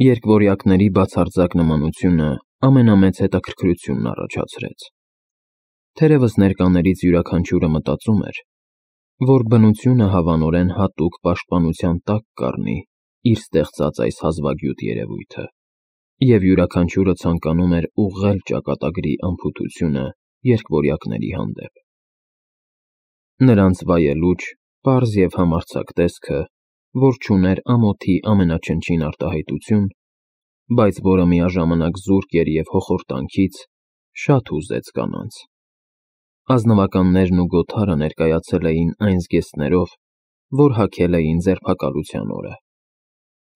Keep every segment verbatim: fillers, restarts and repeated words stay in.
Երկվորյակների բացարձակ նմանությունը ամենամեծ հետաքրքրությունն առաջացրեց։ Թերևս ներկաներից յուրաքանչյուրը մտածում էր, որ բնությունը հավանորեն հատուկ պաշտպանության տակ կառնի իր ստեղծած այս հազվագյուտ երևույթը, և յուրաքանչյուրը ցանկանում էր ուղղել ճակատագրի անփութությունը երկվորյակների հանդեպ։ Նրանց վայելուչ, պարզ և համարձակ տեսքը, որ չուներ ամոթի ամենաչնչին արտահայտություն, բայց որը միաժամանակ զուրկ էր և հոխորտանքից, շատ հուզեց կանանց։ Ազնվականներն ու գոթարը ներկայացել էին այն զգեստներով, որ հագել էին ձերբակալության օրը,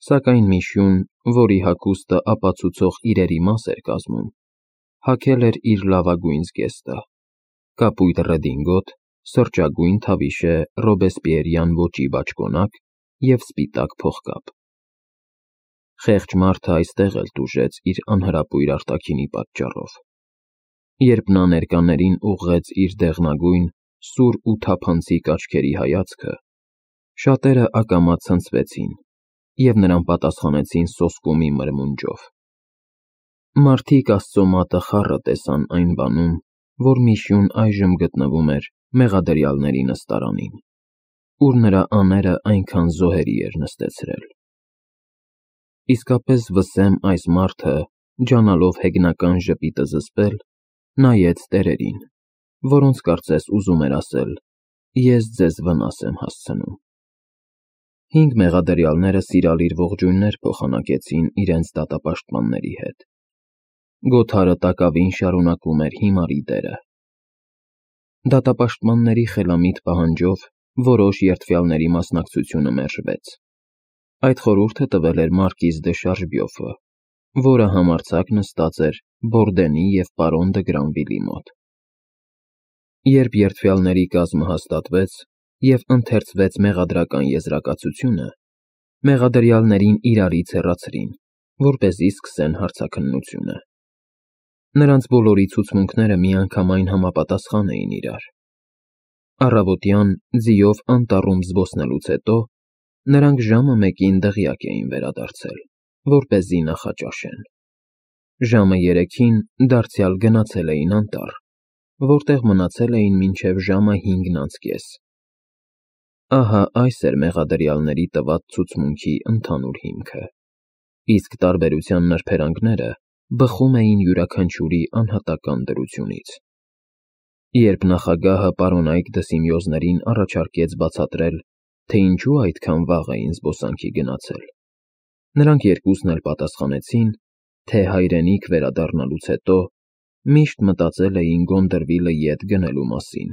սակայն Միշուն, որի հագուստը ապացուցող իրերի մաս էր կազմում, հագել էր իր լավագույն զգեստը՝ կապույտ ռեդինգոտ, սրճագույն թավիշե ռոբեսպիերյան ոճի բաճկոնակ և սպիտակ փողկապ։ Խեղճ մարդը այստեղ էլ տուժեց իր անհրապույր արտաքինի պատճառով։ Երբ նա ներկաներին ուղղեց իր դեղնագույն, սուր ու թափանցիկ աչքերի հայացքը, շատերը ակամա ցնցվեցին և նրան պատասխանեցին սոսկումի մրմունջով։ Մարդիկ Աստծո մատը խառը տեսան այն բանում, որ Միշուն այժմ գտնվում էր մեղադրյալների նստարանին, ուր նրա աները այնքան զոհերի էր նստեցրել։ Իսկապես վսեմ այս մարդը, ջանալով հեգնական ժպիտը զսպել, նայեց տերերին, որոնց կարծես ուզում էր ասել. «Ես ձեզ վնաս եմ հասցնում»։ Հինգ մեղադրյալները սիրալիր ողջույններ փոխանակեցին իրենց դատապաշտպանների հետ։ Գոթարը տակավին շարունակում էր հիմարի դերը։ Դատապաշտպանների խելամիտ պահանջով որոշ երդվյալների մասնակցությունը մերժվեց։ Այդ խորհուրդը տվել էր մարկիզ դե Շարժբյոֆը, որը համարձակ նստած էր Բորդենի և պարոն դը Գրանվիլի մոտ։ Երբ երդվյալների կազմը հաստատվեց և ընթերցվեց մեղադրական եզրակացությունը, մեղադրյալներին իրարից հեռացրին, որպեսզի սկսեն հարցաքննությունը։ Նրանց բոլորի ցուցմունքները միանգամայն համապատասխան էին իրար։ Առավոտյան ձիով անտառում զբոսնելուց հետո նրանք ժամը մեկին դղյակ էին վերադարձել, որպեսզի նախաճաշեն։ Ժամը երեքին դարձյալ գնացել էին անտառ, որտեղ մնացել էին մինչև ժամը հինգն անց կես։ Ահա այս էր մեղադրյալների տված ցուցմունքի ընդհանուր հիմքը, իսկ տարբերության նրբերանգները բխում էին յուրաքանչյուրի անհատական դրությունից։ Երբ նախագահը պարոնայք դսիմիոզներին առաջարկեց բացատրել, թե ինչու այդքան վաղ էին զբոսանքի գնացել, նրանք երկուսն էլ պատասխանեցին, թե հայրենիք վերադառնալուց հետո միշտ մտածել էին Գոնդրվիլը ետ գնելու մասին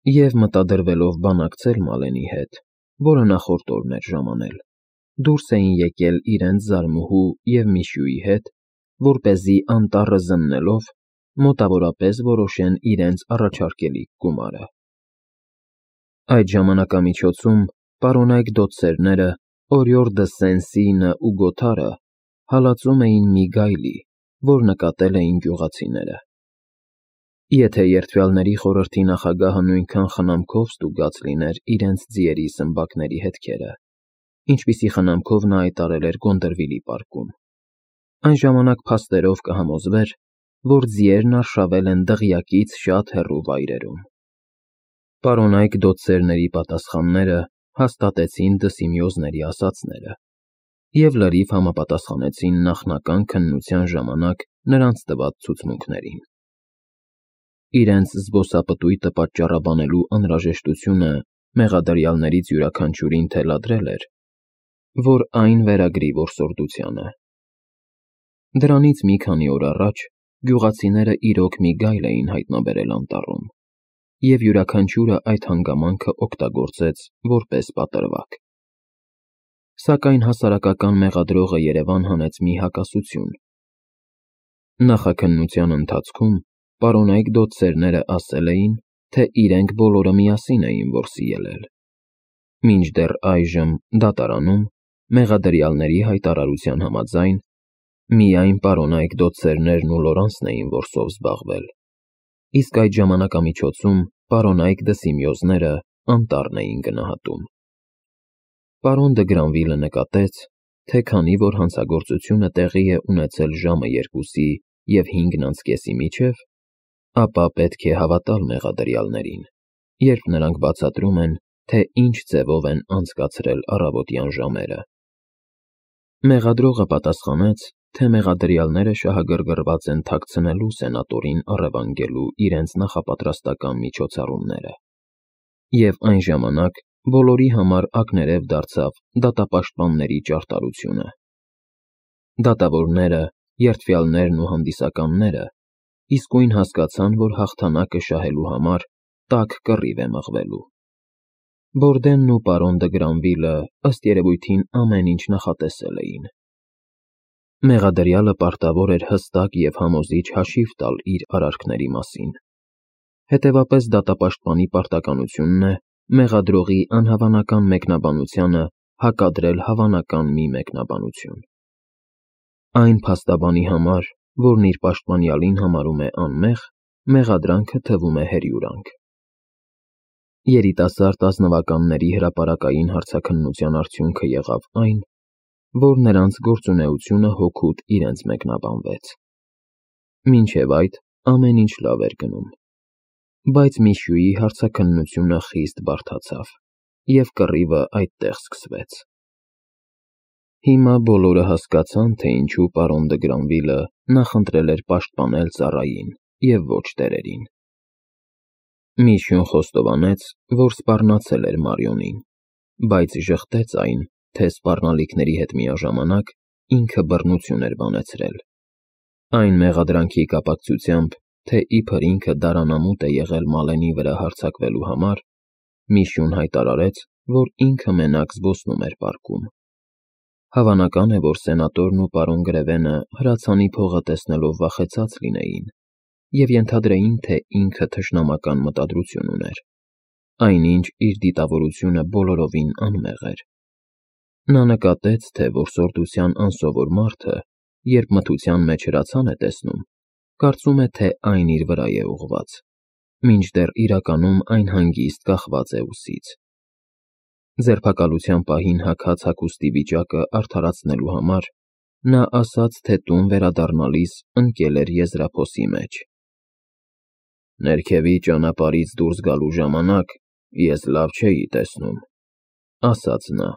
և, մտադրվելով բանակցել Մալենի հետ, որը նախորդ օրն էր ժամանել, դուրս էին եկել իրենց զարմուհու և Միշյուի հետ, որպեսզի անտառը զննելով մոտավորապես որոշեն իրենց առաջարկելիք գումարը։ Այդ ժամանակամիջոցում պարոնայք դոցերները Օրիոր դը Սեն-Սինը ու Գոթարը հալածում էին մի գայլի, որ նկատել էին գյուղացիները։ Եթե երդվյալների խորհրդի նախագահը նույնքան խնամքով ստուգած լիներ իրենց ձիերի սմբակների հետքերը, ինչպիսի խնամքով նա այդ արել էր Գոնդրվիլի պարկում, այն ժամանակ փաստերով կհամոզվեր, որ ձիերն արշավել են դղյակից շատ հեռու վայրերում։ Պարոնայք դոցերների պատասխանները հաստատեցին դսիմիոզների ասածները և լրիվ համապատասխանեցին նախնական քննության ժամանակ նրանց տված ցուցմունքներին։ Իրենց զբոսապտույտը պատճառաբանելու անհրաժեշտությունը մեղադրյալներից յուրաքանչյուրին թելադրել էր, որ այն վերագրի որսորդությանը։ Դրանից մի քանի օր առաջ գյուղացիները իրոք մի գայլ էին հայտնաբերել անտառում, և յուրաքանչյուրը այդ հանգամանքը օգտագործեց որպես պատրվակ։ Սակայն հասարակական մեղադրողը երևան հանեց մի հակասություն։ Նախաքննության ընթացքում պարոնայք դոցերները ասել էին, թե իրենք բոլորը միասին էին որսի ելել, մինչդեռ այժմ դատարանում, մեղադրյալների հայտարարության համաձայն, միայն պարոնայք դոցերներն ու Լորանսն էին որսով զբաղվել, իսկ այդ ժամանակամիջոցում պարոնայք դսիմիոզները անտառն էին գնահատում։ Պարոն դը Գրանվիլը նկատեց, թե քանի որ հանցագործությունը տեղի է ունեցել ժամը երկուսի և հինգն անց կեսի միջև, ապա պետք է հավատալ մեղադրյալներին, երբ նրանք բացատրում են, թե ինչ ձևով են անցկացրել առավոտյան ժամերը։ Մեղադրողը պատասխանեց, թե մեղադրյալները շահագրգռված են թաքցնելու սենատորին առևանգելու իրենց նախապատրաստական միջոցառումները, և այն ժամանակ բոլորի համար ակներև դարձավ դատապաշտպանների ճարտարությունը։ Դատավորները, երդվյալներն ու հանդիսականները իսկույն հասկացան, որ հաղթանակը շահելու համար տաք կռիվ է մղվելու։ Բորդենն ու պարոն դը Գրանվիլը, ըստ երևույթին, ամեն ինչ նախատեսել էին։ Մեղադրյալը պարտավոր էր հստակ և համոզիչ հաշիվ տալ իր արարքների մասին։ Հետևապես դատապաշտպանի պարտականությունն է մեղադրողի անհավանական մեկնաբանությանը հակադրել հավանական մի մեկնաբանություն։ Այն փաստաբանի համար, որն իր պաշտպանյալին համարում է անմեղ, մեղադրանքը թվում է հերյուրանք։ Երիտասարդ ազնվականների հրապարակային հարցաքննության արդյունքը եղավ այն, որ նրանց գործունեությունը հօգուտ իրենց մեկնաբանվեց։ Մինչև այդ ամեն ինչ լավ էր գնում, բայց Միշյուի հարցաքննությունը խիստ բարդացավ, և կռիվը այդտեղ սկսվեց։ Հիմա բոլորը հասկացան, թե ինչու պարոն դը Գրանվիլը նախընտրել էր պաշտպանել ծառային և ոչ տերերին։ Միշյուն խոստովանեց, որ սպառնացել էր Մարիոնին, բայց ժխտեց այն, թե սպառնալիքների հետ միաժամանակ ինքը բռնություն էր բանեցրել։ Այն մեղադրանքի կապակցությամբ, թե իբր ինքը դարանամուտ է եղել Մալենի վրա հարձակվելու համար, Միշյուն հայտարարեց, որ ինքը մենակ զբոսնում էր պարկում։ Հավանական է, որ սենատորն ու պարոն Գրևենը հրացանի փողը տեսնելով վախեցած լինեին և ենթադրեին, թե ինքը թշնամական մտադրություն ուներ, այնինչ իր դիտավորությունը բոլորովին անմեղ էր։ Նա նկատեց, թե որսորդության անսովոր մարդը, երբ մթության մեջ հրացան է տեսնում, կարծում է, թե այն իր վրա է ուղղված, մինչդեռ իրականում այն հանգիստ կախված է ուսից։ Ձերբակալության պահին հագած հագուստի վիճակը արդարացնելու համար նա ասաց, թե տուն վերադառնալիս ընկել էր եզրափոսի մեջ։ «Ներքևի ճանապարհից դուրս գալու ժամանակ ես լավ չէի տեսնում», ասաց նա,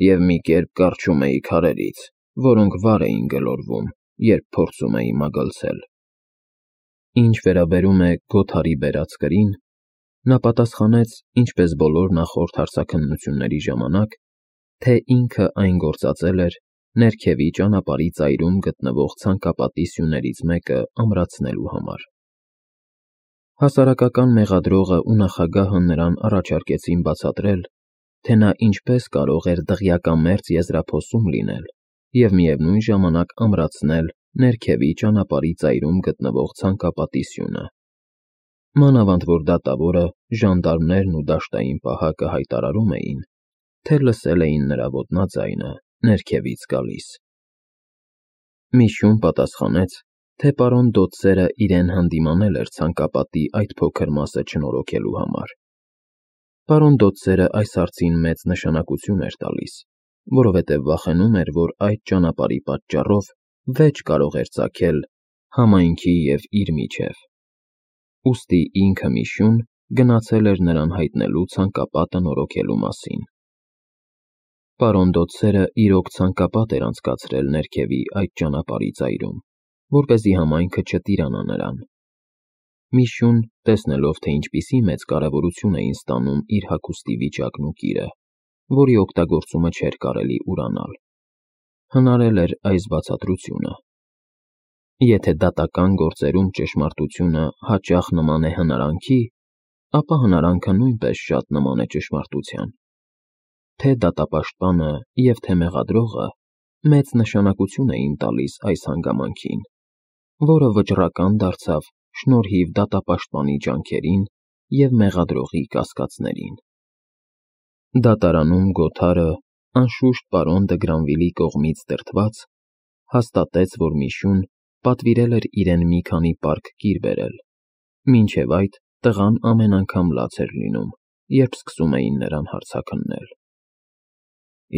«և մի կերպ կառչում էի քարերից, որոնք վար էին գլորվում, երբ փորձում էի մագլցել»։ Ինչ վերաբերում է Գոթարի բերած կրին, նա պատասխանեց, ինչպես բոլոր նախորդ հարցաքննությունների ժամանակ, թե ինքը այն գործածել էր ներքևի ճանապարհի ծայրում գտնվող ցանկապատի սյուներից մեկը ամրացնելու համար։ Հասարակական մեղադրողը ու նախագահը նրան առաջարկեցին բացատրել, թե նա ինչպես կարող էր դղյակամերձ եզրափոսում լինել և միևնույն ժամանակ ամրացնել ներքևի ճանապարհի ծայրում գտնվող ցանկապատի սյունը։ Մանավանդ որ դատավորը, ժանդարմներն ու դաշտային պահակը հայտարարում էին, թե լսել էին նրա ոտնաձայնը ներքևից գալիս։ Միշյուն պատասխանեց, թե պարոն Դոդսերը իրեն հանդիմանել էր ցանկապատի այդ փոքր մասը չնորոգելու համար։ Պարոն Դոդսերը այս հարցին մեծ նշանակություն էր տալիս, որովհետև վախենում էր, որ այդ ճանապարհի պատճառով վեճ կարող էր ծագել համայնքի և իր միջև։ Ուստի ինքը Միշյուն գնացել էր նրան հայտնելու ցանկապատը նորոգելու մասին։ Պարոն Դոդսերը իրոք ցանկապատ էր անցկացրել ներքևի այդ ճանապարհի ծայրում, որպեսզի համայնքը չտիրանա նրան։ Միշյուն, տեսնելով, թե ինչպիսի մեծ կարևորություն էին ստանում իր հագուստի վիճակն ու կիրը, որի օգտագործումը չէր կարելի ուրանալ, հնարել էր այս բացատրությունը. եթե դատական գործերում ճշմարտությունը հաճախ նման է հնարանքի, ապա հնարանքը նույնպես շատ նման է ճշմարտության։ Թե դատապաշտպանը և թե մեղադրողը մեծ նշանակություն էին տալիս այս հանգամանքին, որը վճռական դարձավ շնորհիվ դատապաշտպանի ջանքերին և մեղադրողի կասկածներին։ Դատարանում Գոթարը, անշուշտ պարոն դը Գրանվիլի կողմից դրդված, հաստատեց, որ Միշյուն պատվիրել էր իրեն մի քանի պարկ կիր բերել, մինչև այդ տղան ամեն անգամ լաց էր լինում, երբ սկսում էին նրան հարցաքննել։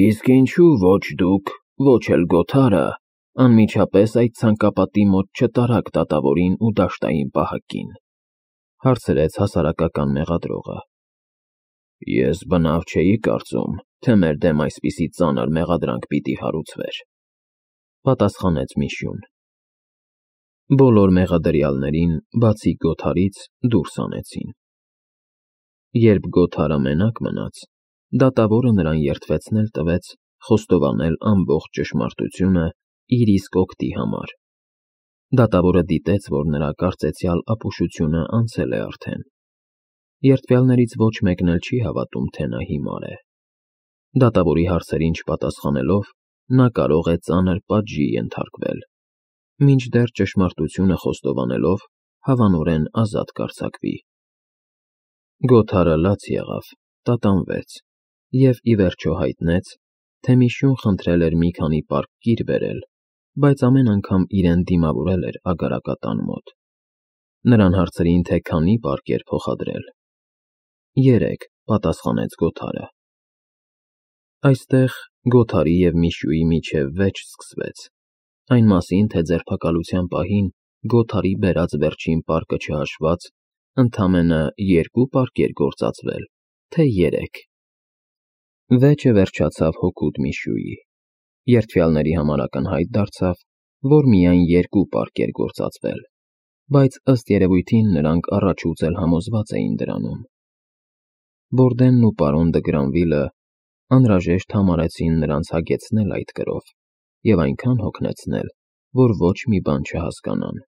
«Իսկ ինչո՞ւ ոչ դուք, ոչ էլ Գոթարը անմիջապես այդ ցանկապատի մոտ չտարակ դատավորին ու դաշտային պահակին, հարցրեց հասարակական մեղադրողը։ Ես բնավ չէի կարծում, թե մեր դեմ այսպիսի ծանր մեղադրանք պիտի հարուցվեր, պատասխանեց Միշյուն։ Բոլոր մեղադրյալներին, բացի Գոթարից, դուրս անեցին։ Երբ Գոթարը մենակ մնաց, դատավորը նրան երդվեցնել տվեց խոստովանել ամբողջ ճշմարտությունը իր իսկ օգտի համար։ Դատավորը դիտեց, որ նրա կարծեցյալ ապուշությունը անցել է արդեն։ Երդվյալներից ոչ մեկն էլ չի հավատում, թե նա հիմար է։ Դատավորի հարցերին չպատասխանելով, նա կարող է ծանր պատժի ենթարկվել, մինչդեռ ճշմարտությունը խոստովանելով հավանորեն ազատ կարձակվի։ Գոթարը լաց եղավ, տատանվեց և ի վերջո հայտնեց, թե Միշյուն խնդրել էր մի քանի պարկ կիր բերել, բայց ամեն անգամ իրեն դիմավորել էր ագարակատան մոտ։ Նրան հարցրին, թե քանի պարկ էր փոխադրել։ Երեք, պատասխանեց Գոթարը։ Այստեղ Գոթարի և Միշյուի միջև վեճ սկսվեց, այն մասին, թե ձերբակալության պահին Գոթարի բերած վերջին պարկը չհաշված, ընդամենը երկու պարկ էր գործածվել, թե երեք։ Վեճը վերջացավ հօգուտ Միշյուի։ Երդվյալների համար ակնհայտ դարձավ, որ միայն երկու պարկ էր գործածվել, բայց ըստ երևույթին նրանք առաջուց էլ համոզված էին դրանում։ Բորդենն ու պարոն Դը Գրանվիլը անհրաժեշտ համարեցին նրանց հագեցնել այդ կրով և այնքան հոգնեցնել, որ ոչ մի բան չհասկանան։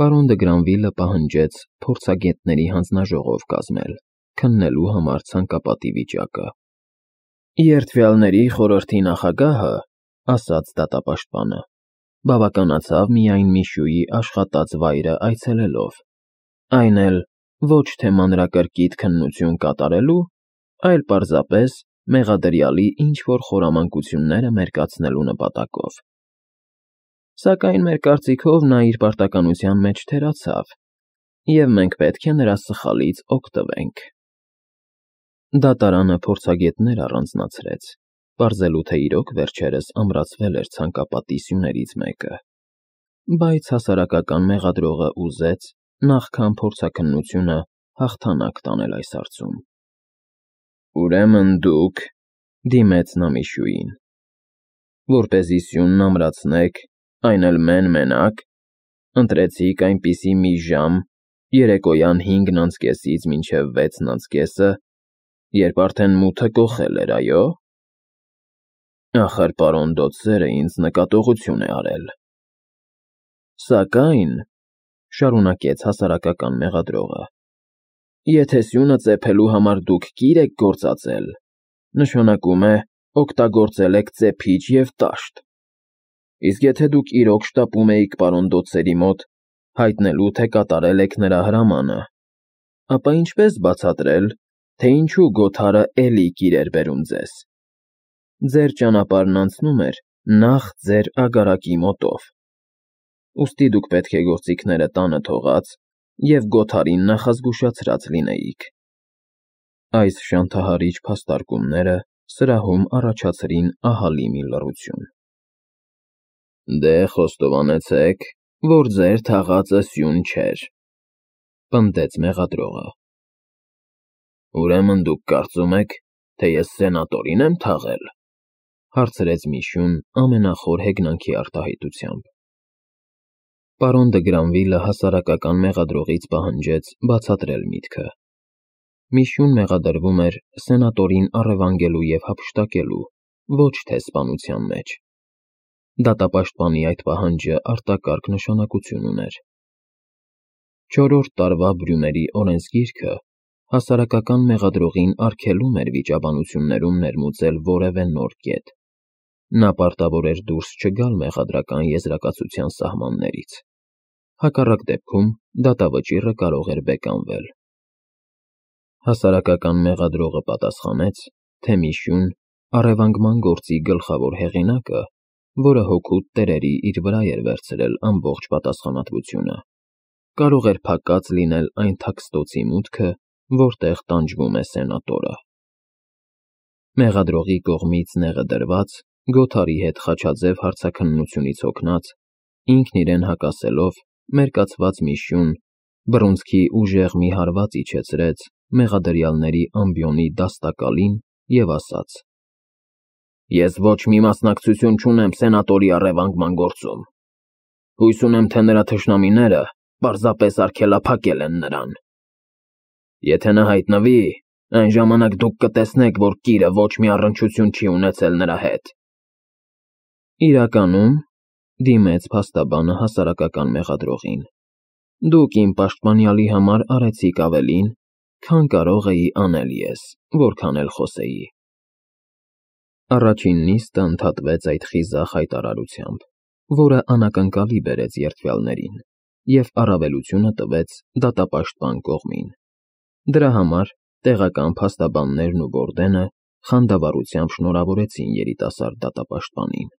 Պարոն Դը Գրանվիլը պահանջեց փորձագետների հանձնաժողով կազմել, քննելու համար ցանկապատի վիճակը։ Երդվյալների խորհրդի նախագահը, ասաց դատապաշտպանը, բավականացավ միայն Միշյուի աշխատած վայրը այցելելով, այն էլ ոչ թե մանրակրկիտ քննություն կատարելու, այլ պարզապես մեղադրյալի ինչ-որ խորամանկությունները մերկացնելու նպատակով։ Սակայն մեր կարծիքով նա իր պարտականության մեջ թերացավ, և մենք պետք է նրա սխալից օգտվենք։ Դատարանը փորձագետներ առանձնացրեց, պարզելու թե իրոք վերջերս ամրացվել էր ցանկապատի սյուներից մեկը, բայց հասարակական մեղադրողը ուզեց նախքան փորձաքննությունը հաղթանակ տանել այս հարցում։ Ուրեմն դուք, դիմեց նա Միշյուին, որպեսզի սյունն ամրացնեք, այն էլ մեն֊մենակ, ընտրեցիք այնպիսի մի ժամ, երեկոյան հինգն անց կեսից մինչև վեցն անց կեսը, երբ արդեն մութը կոխել էր, այո՞։ Ախր պարոն Դոթսերը ինձ նկատողություն է արել։ Սակայն, շարունակեց հասարակական մեղադրողը, եթե սյունը ծեփելու համար դուք կիր եք գործածել, նշանակում է օգտագործել եք ծեփիչ և տաշտ, իսկ եթե դուք իրոք շտապում էիք պարոն Դոթսերի մոտ, հայտնելու, թե կատարել եք նրա հրամանը, ապա ինչպես բացատրել, թե ինչու Գոթարը էլի կիր էր բերում ձեզ։ Ձեր ճանապարհն անցնում էր նախ ձեր ագարակի մոտով, ուստի դուք պետք է գործիքները տանը թողած և Գոթարին նախազգուշացրած լինեիք։ Այս շանթահարիչ փաստարկումները սրահում առաջացրին ահռելի մի լռություն։ Դե խոստովանեցեք, որ ձեր թաղածը սյուն չէր, պնդեց մեղադրողը։ Ուրեմն դուք կարծում եք, թե ես սենատորին եմ թաղել, հարցրեց Միշյուն ամենախոր հեգնանքի արտահայտությամբ։ Պարոն Դը Գրանվիլը հասարակական մեղադրողից պահանջեց բացատրել միտքը։ Միշյուն մեղադրվում էր սենատորին առևանգելու և հափշտակելու, ոչ թե սպանության մեջ։ Դատապաշտպանի այդ պահանջը արտակարգ նշանակություն ուներ։ Չորրորդ տարվա Բրյումերի օրենսգիրքը հասարակական մեղադրողին արգելում էր վիճաբանություններում ներմուծել որևէ նոր կետ։ Նա պարտավոր էր դուրս չգալ մեղադրական եզրակացության սահմաններից։ Հակառակ դեպքում դատավճիռը կարող էր բեկանվել։ Հասարակական մեղադրողը պատասխանեց, թե Միշյուն, առևանգման գործի գլխավոր հեղինակը, որը հօգուտ տերերի իր վրա էր վերցրել ամբողջ պատասխանատվությունը, կարող էր փակած լինել այն թաքստոցի մուտքը, որտեղ տանջվում է սենատորը։ Մեղադրողի կողմից նեղը դրված Գոթարի հետ խաչաձև հարցաքննությունից հոգնած, ինքն իրեն հակասելով, մերկացված մի շյուն, բռունցքի ուժեղ մի հարված իջեցրեց մեղադրյալների ամբիոնի դաստակալին և ասաց. Ես ոչ մի մասնակցություն չունեմ սենատորի առևանգման գործում, հույս ունեմ, թե նրա թշնամիները պարզապես արգելափակել են նրան, եթե նա հայտնվի, այն ժամանակ դուք կտեսնեք, որ կիրը ոչ մի առնչություն չի ունեցել նրա հետ։ Իրականում, դիմեց փաստաբանը հասարակական մեղադրողին, դուք իմ պաշտպանյալի համար արեցիք ավելին, քան կարող էի անել ես, որքան էլ խոսեի։ Առաջին նիստը ընդհատվեց այդ խիզախ հայտարարությամբ, որը անակնկալի բերեց երդվյալներին և առավելությունը տվեց դատապաշտպան կողմին։ Դրա համար տեղական փաստաբաններն ու Բորդենը խանդավառությամբ շնորհավորեցին երիտասարդ դատապաշտպանին։